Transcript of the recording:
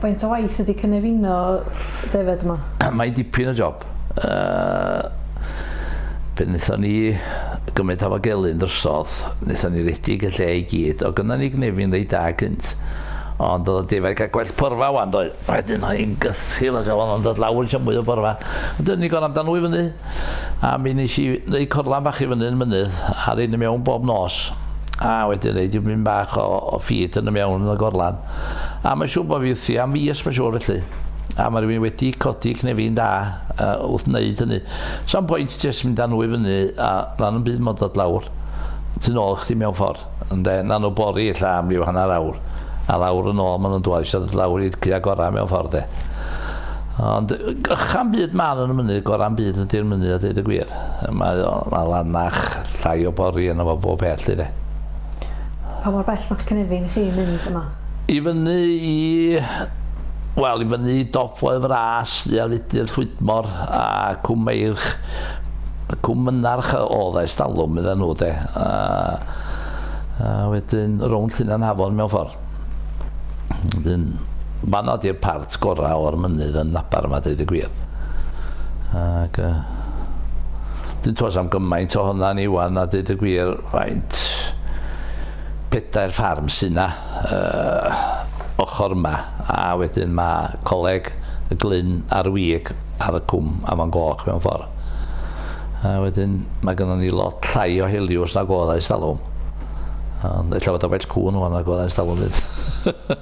Faint o waith ydy cynefino defed yma? Mae'n dipyn o job. Pan wnaethon ni gymryd Hafod Gelyn drosodd, wnaethon ni redig y lle i gyd. O gynna ni gnefin reit da gynt. Ond oedd y defaid cael gwell porfa wan, doedd. Wedyn oedd hi'n gythil a oedd o'n dod lawr eisiau mwy o borfa. Ond dyn ni gorau amdan nhw i fyny. A mi nes i wneud corlan bach i fyny yn mynydd, a reid i mewn bob nos. A wedyn reid i mynd bach o ffid yn y mewn yn y gorlan. A mae'n siŵr bod fi wrthi am fis, mae'n siŵr felly. A mae rhywun wedi codi cnefin da wrth wneud hynny. Sa'n pwynt jyst mynd â nhw i fyny a na'n yn byd mod dod lawr. Tu nôl chdi mewn ffordd. Ynde, na nhw bori ella am ryw hanner awr. A lawr yn ôl maen nhw'n dweud eisiau dod lawr i'r cua gorau mewn ffordd de. Ond ychan byd ma'n yn y mynydd, gorau'n byd ydy'r mynydd a dweud y gwir. Mae, mae lanach, llai o bori yna fo bob peth lly de. Pa mor bell mae'ch cynefin chi mynd yma? I fyny i... Wel, i fyny i dop Foel Fras, ar Fudur Llwydmor a Cwm Meirch. Cwm Mynarch oedd e, stalwm iddyn nhw de. A wedyn rownd Llynnan Hafon mewn ffordd. Wedyn, fanno di'r part gorau o'r mynydd yn Nabar yma, dweud y gwir. Ac, dyn tos am gymaint o honna ni wan, a dweud y gwir, faint 4 ffarm sy'n na ochr yma, a wedyn mae Coleg y Glyn a'r Wig ar y cwm Afon Goch mewn ffordd. A wedyn mae gynnon ni lot llai o heliws nag oedd ers talwm. Ond ella fod o well cŵn wan nag oedd ers talwm fyd.